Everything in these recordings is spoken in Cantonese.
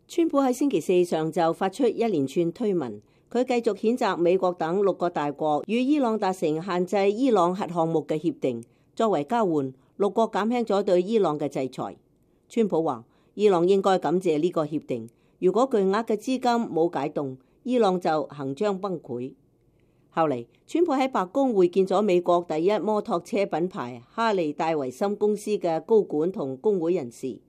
川普喺星期四上晝發出一連串推文，佢繼續譴責美國等6個大國與伊朗達成限制伊朗核項目嘅協定，作為交換，6國減輕咗對伊朗嘅制裁。川普話：伊朗應該感謝呢個協定，如果巨額嘅資金冇解凍，伊朗就行將崩潰。後嚟，川普喺白宮會見咗美國第一摩托車品牌哈利戴維森公司嘅高管同工會人士。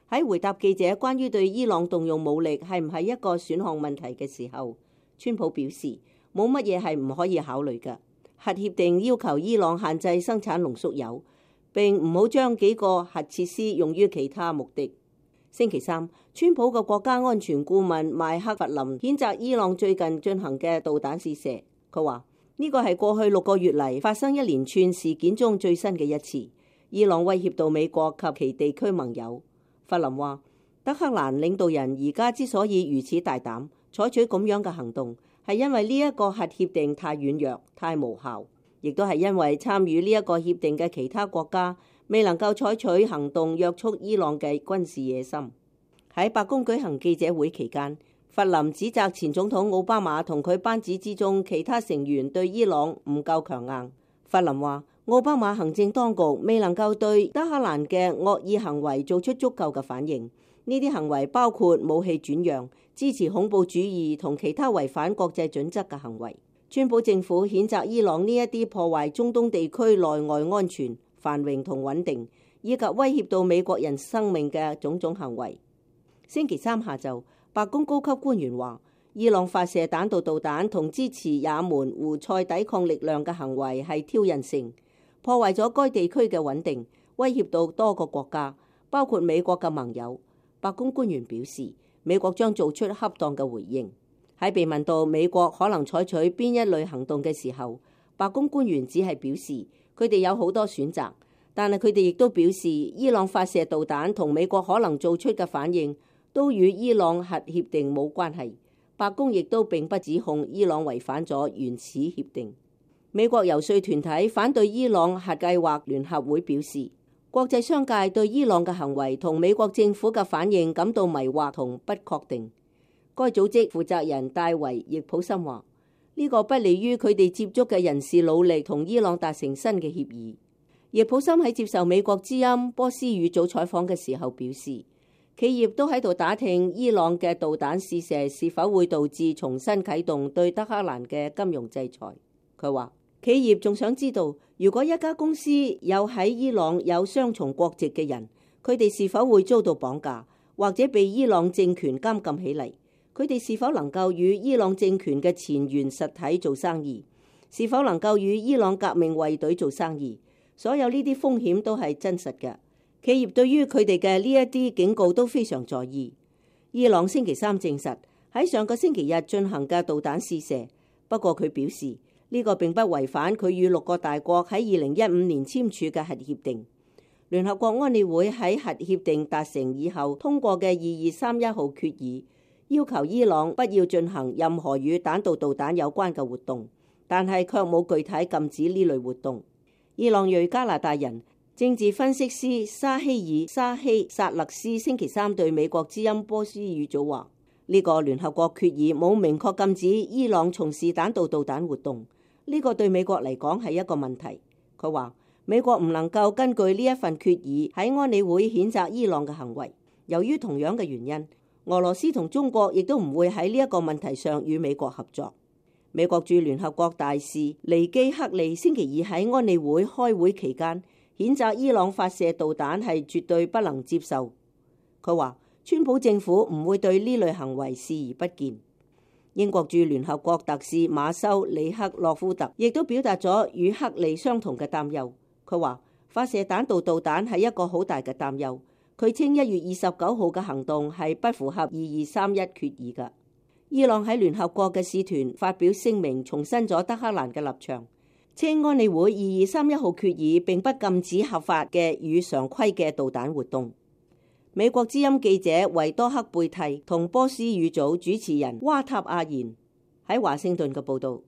喺回答記者關於對伊朗動用武力係唔係一個選項問題嘅時候，川普表示冇乜嘢係唔可以考慮嘅。核協定要求伊朗限制生產濃縮鈾，並唔好將幾個核設施用於其他目的。星期三，川普嘅國家安全顧問麥克弗林譴責伊朗最近進行嘅導彈試射。佢話呢個係過去6個月嚟發生一連串事件中最新嘅一次。伊朗威脅到美國及其地區盟友。弗林話：德黑蘭領導人而家之所以如此大膽採取咁樣嘅行動，係因為呢一個核協定太軟弱、太無效，亦都係因為參與呢一個協定嘅其他國家未能夠採取行動約束伊朗嘅軍事野心。喺白宮舉行記者會期間，弗林指責前總統奧巴馬同佢班子之中其他成員對伊朗唔夠強硬。弗林話：奧巴馬行政當局未能夠對德黑蘭嘅惡意行為做出足夠嘅反應，呢啲行為包括武器轉讓、支持恐怖主義同其他違反國際準則嘅行為。川普政府譴責伊朗呢一啲破壞中東地區內外安全、繁榮同穩定，以及威脅到美國人生命嘅種種行為。星期三下晝，白宮高級官員話，伊朗發射彈道導彈同支持也門胡塞抵抗力量嘅行為係挑釁性，破壞咗該地區嘅穩定，威脅到多個國家，包括美國嘅盟友。白宮官員表示，美國將做出恰當嘅回應。喺被問到美國可能採取邊一類行動嘅時候，白宮官員只係表示佢哋有好多選擇，但係佢哋亦都表示伊朗發射導彈同美國可能做出嘅反應都與伊朗核協定冇關係。白宮亦都並不指控伊朗違反咗原始協定。美國遊說團體反對伊朗核計劃聯合會表示，國際商界對伊朗嘅行為同美國政府嘅反應感到迷惑同不確定。該組織負責人戴維·易普森話：呢個不利於佢哋接觸嘅人士努力同伊朗達成新嘅協議。易普森喺接受美國之音波斯語組採訪嘅時候表示，企業都喺度打聽伊朗嘅導彈試射是否會導致重新啟動對德黑蘭嘅金融制裁。佢話，企業仲想知道，如果一家公司有喺伊朗有雙重國籍嘅人，佢哋是否會遭到綁架，或者被伊朗政權監禁起嚟？佢哋是否能夠與伊朗政權嘅前沿實體做生意？是否能夠與伊朗革命衛隊做生意？所有呢啲風險都係真實嘅。企業對於佢哋嘅呢一啲警告都非常在意。伊朗星期三證實喺上個星期日進行嘅導彈試射，不過佢表示呢個並不違反佢與6個大國喺2015年簽署嘅核協定。聯合國安理會喺核協定達成以後通過嘅2231號決議，要求伊朗不要進行任何與彈道導彈有關嘅活動，但係卻冇具體禁止呢類活動。伊朗裔加拿大人政治分析師沙希爾·沙希薩勒斯星期三對美國之音波斯語組話：呢個聯合國決議冇明確禁止伊朗從事彈道導彈活動，呢個對美國嚟講係一個問題。佢話美國唔能夠根據呢一份決議喺安理會譴責伊朗嘅行為。由於同樣嘅原因，俄羅斯同中國亦都唔會喺呢一個問題上與美國合作。美國駐聯合國大使尼基克利星期二喺安理會開會期間譴責伊朗發射導彈係絕對不能接受。佢話川普政府唔會對呢類行為視而不見。英國駐聯合國特使馬修里克洛夫特亦都表達咗與克利相同嘅擔憂。佢話發射彈道導彈係一個好大嘅擔憂。佢稱1月29號嘅行動係不符合2231決議嘅。伊朗喺聯合國嘅使團發表聲明，重申咗德黑蘭嘅立場，稱安理會2231號決議並不禁止合法嘅與常規嘅導彈活動。美國之音記者維多克貝蒂同波斯語組主持人瓦塔阿言喺華盛頓嘅報導。